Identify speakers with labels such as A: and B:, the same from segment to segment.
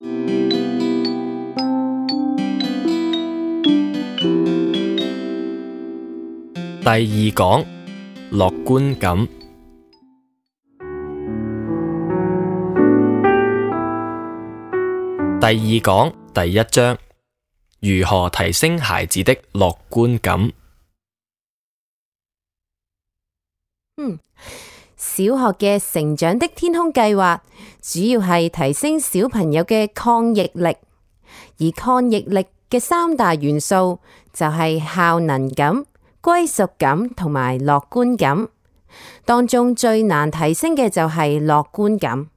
A: 第二講，樂觀感。第二講第一章，如何提升孩子的樂觀感。
B: 小學嘅成長的天空計劃主要係提升小朋友嘅抗逆力，而抗逆力嘅三大元素就係效能感、歸屬感同埋樂觀感。當中最難提升嘅就係樂觀感。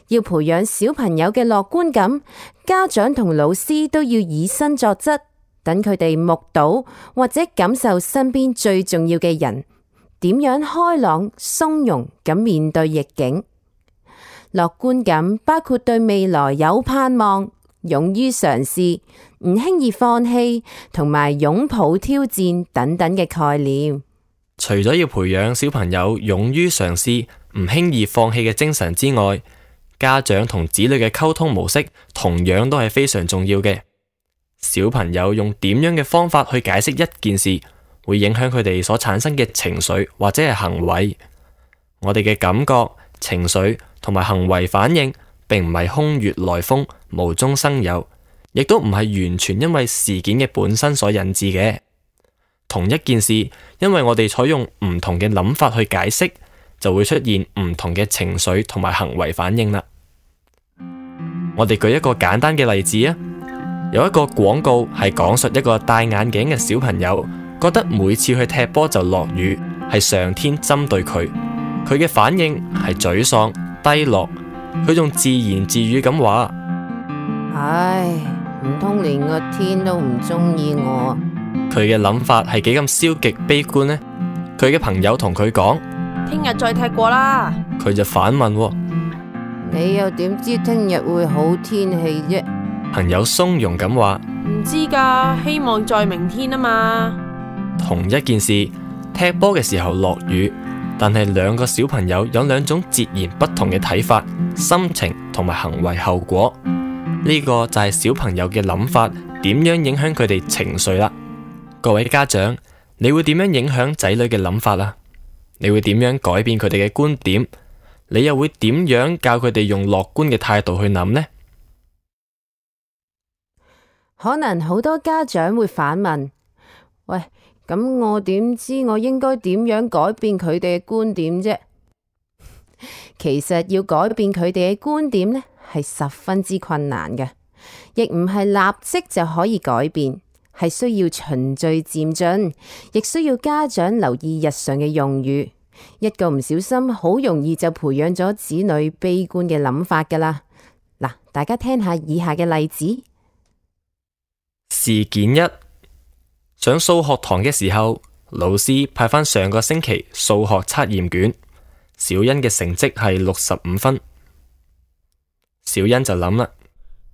B: 要培養小朋友嘅樂觀感，家長同老師都要以身作則，等佢哋目睹或者感受身邊最重要嘅人點樣開朗鬆容咁面對逆境。樂觀感包括對未來有盼望、勇於嘗試、唔輕易放棄同埋擁抱挑戰等等嘅概念。
A: 除咗要培養小朋友勇於嘗試、唔輕易放棄嘅精神之外，家長同子女嘅溝通模式同樣都係非常重要嘅。小朋友用點樣嘅方法去解釋一件事，會影響佢哋所產生嘅情緒或者係行為。我哋嘅感覺、情緒同埋行為反應，並唔係空穴來風、無中生有，亦都唔係完全因為事件嘅本身所引致嘅。同一件事，因為我哋採用唔同嘅諗法去解釋，就會出現唔同嘅情緒同埋行為反應啦。我哋舉一個簡單嘅例子啊，有一個廣告係講述一個戴眼鏡嘅小朋友，覺得每次去踢波就落雨，係上天針對佢。佢嘅反應係沮喪、低落，佢仲自言自語咁話：
B: 唉，唔通連個天都唔中意我？
A: 佢嘅諗法係幾咁消極悲觀呢？佢嘅朋友同佢講：
C: 聽日再踢過啦。
A: 佢就反問：
B: 你又點知聽日會好天氣啫？
A: 朋友鬆容咁話：
C: 唔知噶，希望在明天啊嘛。
A: 同一件事，踢波嘅時候落雨，但係兩個小朋友有兩種截然不同嘅睇法、心情同埋行為後果。呢個就係小朋友嘅諗法點樣影響佢哋情緒啦。各位家長，你會點樣影響仔女嘅諗法啊？你會點樣改變佢哋嘅觀點？你又會點樣教佢哋用樂觀嘅態度去諗呢？
B: 可能好多家長會反問：喂，咁我點知我應該點樣改變佢哋嘅觀點啫？其實要改變佢哋嘅觀點呢，係十分之困難嘅，亦唔係立即就可以改變，係需要循序漸進，亦需要家長留意日常嘅用語。一個唔小心，好容易就培養咗子女悲觀嘅諗法噶啦。嗱，大家聽下以下嘅例子。
A: 事件一，上數學堂嘅時候，老師派返上個星期數學測驗卷，小欣嘅成績係65分。小欣就諗啦：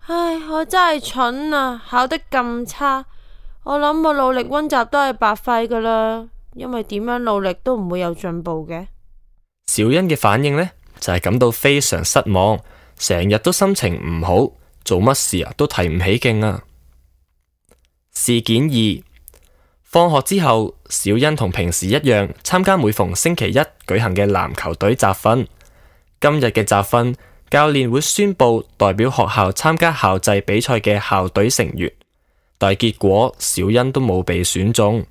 C: 唉，我真係蠢啊，考得咁差，我諗我努力溫習都係白費噶啦。因為點樣努力都唔會有進步嘅。
A: 小欣嘅反應呢，就係感到非常失望，成日都心情唔好，做乜事啊都提唔起勁啊。事件二，放學之後，小欣同平時一樣參加每逢星期一舉行嘅籃球隊集訓。今日嘅集訓，教練會宣布代表學校參加校際比賽嘅校隊成員，但係結果小欣都冇被選中。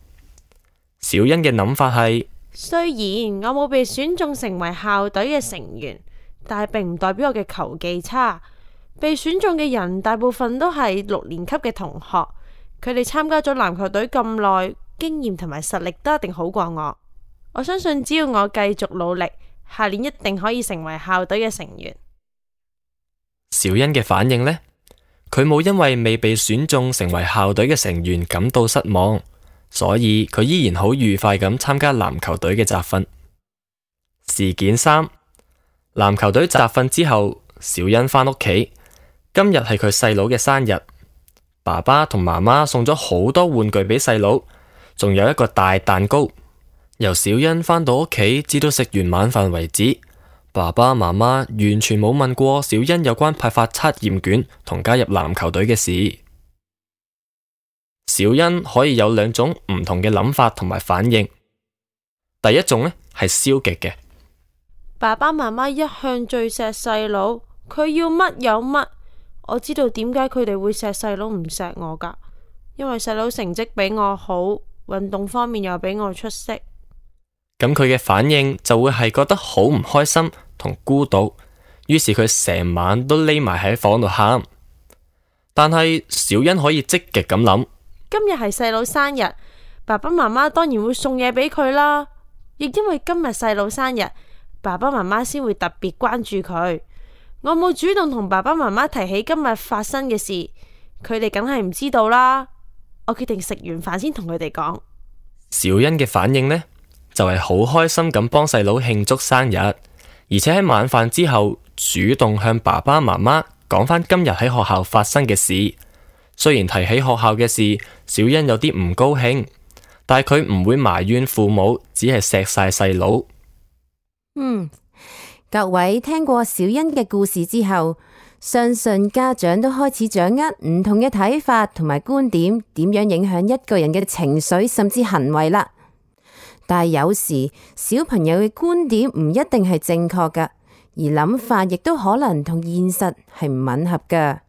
A: 小欣嘅諗法係：
C: 雖然我冇被選中成為校隊嘅成員，但係並唔代表我嘅球技差。被選中嘅人大部分都係6年級嘅同學，佢哋參加咗籃球隊咁耐，經驗同埋實力都一定好過我。我相信只要我繼續努力，下年一定可以成為校隊嘅成員。
A: 小欣嘅反應呢？佢冇因為未被選中成為校隊嘅成員感到失望。所以佢依然好愉快咁參加籃球隊嘅集訓。事件三，籃球隊集訓之後，小欣返屋企。今日係佢細佬嘅生日，爸爸同媽媽送咗好多玩具俾細佬，仲有一個大蛋糕。由小欣返到屋企至到食完晚飯為止，爸爸媽媽完全冇問過小欣有關派發測驗卷同加入籃球隊嘅事。小欣可以有兩種唔同嘅諗法同埋反應。第一種呢係消極嘅，
C: 爸爸媽媽一向最錫細佬，佢要乜有乜。我知道點解佢哋會錫細佬唔錫我㗎，因為細佬成績比我好，運動方面又比我出色。
A: 咁佢嘅反應就會係覺得好唔開心同孤獨，於是佢成晚都匿埋喺房度喊。但係小欣可以積極咁諗，
C: 今日係細佬生日，爸爸媽媽當然會送嘢俾佢啦。亦因為今日細佬生日，爸爸媽媽先會特別關注佢。我冇主動同爸爸媽媽提起今日發生嘅事，佢哋梗係唔知道啦。我決定食完飯先同佢哋講。
A: 小欣嘅反應呢，就係好開心咁幫細佬慶祝生日，而且喺晚飯之後主動向爸爸媽媽講返今日喺學校發生嘅事。雖然提起學校嘅事，小欣有啲唔高興，但係佢唔會埋怨父母，只係錫晒細佬。
B: 各位聽過小欣嘅故事之後，相信家長都開始掌握唔同嘅睇法同埋觀點，點樣影響一個人嘅情緒甚至行為啦。但係有時小朋友嘅觀點唔一定係正確㗎，而諗法亦都可能同現實係唔吻合㗎。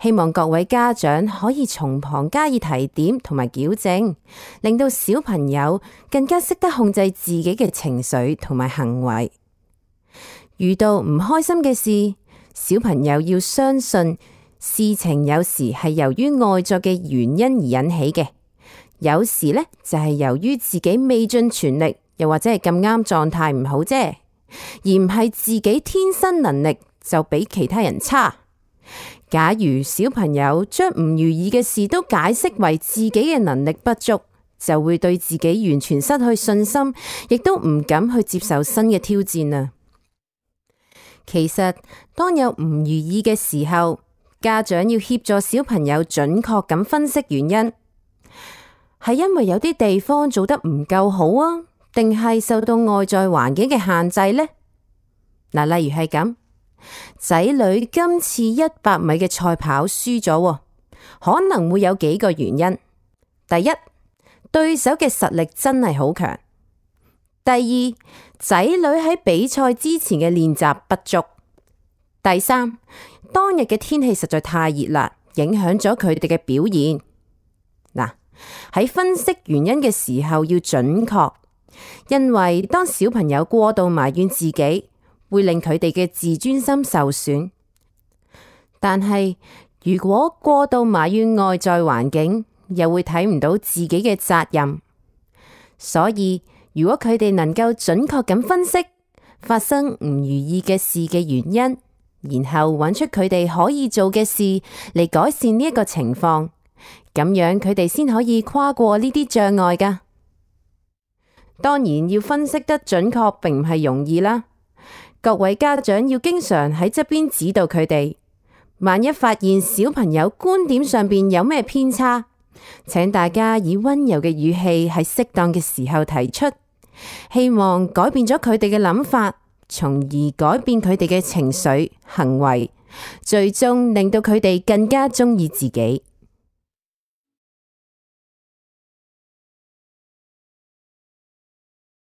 B: 希望各位家長可以從旁加以提點同埋矯正，令到小朋友更加識得控制自己嘅情緒同埋行為。遇到唔開心嘅事，小朋友要相信事情有時係由於外在嘅原因而引起嘅，有時呢就係由於自己未盡全力，又或者係咁啱狀態唔好啫，而唔係自己天生能力就比其他人差。假如小朋友將唔如意嘅事都解釋為自己嘅能力不足，就會對自己完全失去信心，亦都唔敢去接受新嘅挑戰啊！其實當有唔如意嘅時候，家長要協助小朋友準確咁分析原因，係因為有啲地方做得唔夠好啊，定係受到外在環境嘅限制呢？例如係咁。仔女今次100米嘅賽跑輸咗，可能會有幾個原因。第一，對手嘅實力真係好強。第二，仔女喺比賽之前嘅練習不足。第三，當日嘅天氣實在太熱啦，影響咗佢哋嘅表現。喺分析原因嘅時候要準確，因為當小朋友過度埋怨自己，會令佢哋嘅自尊心受損。但係如果過度埋怨外在環境，又會睇唔到自己嘅責任。所以如果佢哋能夠準確咁分析發生唔如意嘅事嘅原因，然後揾出佢哋可以做嘅事嚟改善呢一個情況，咁樣佢哋先可以跨過呢啲障礙㗎。當然要分析得準確並唔係容易啦。各位家長要經常喺側邊指導佢哋，萬一發現小朋友觀點上邊有咩偏差，請大家以溫柔嘅語氣喺適當嘅時候提出，希望改變咗佢哋嘅諗法，從而改變佢哋嘅情緒、行為，最終令到佢哋更加鍾意自己。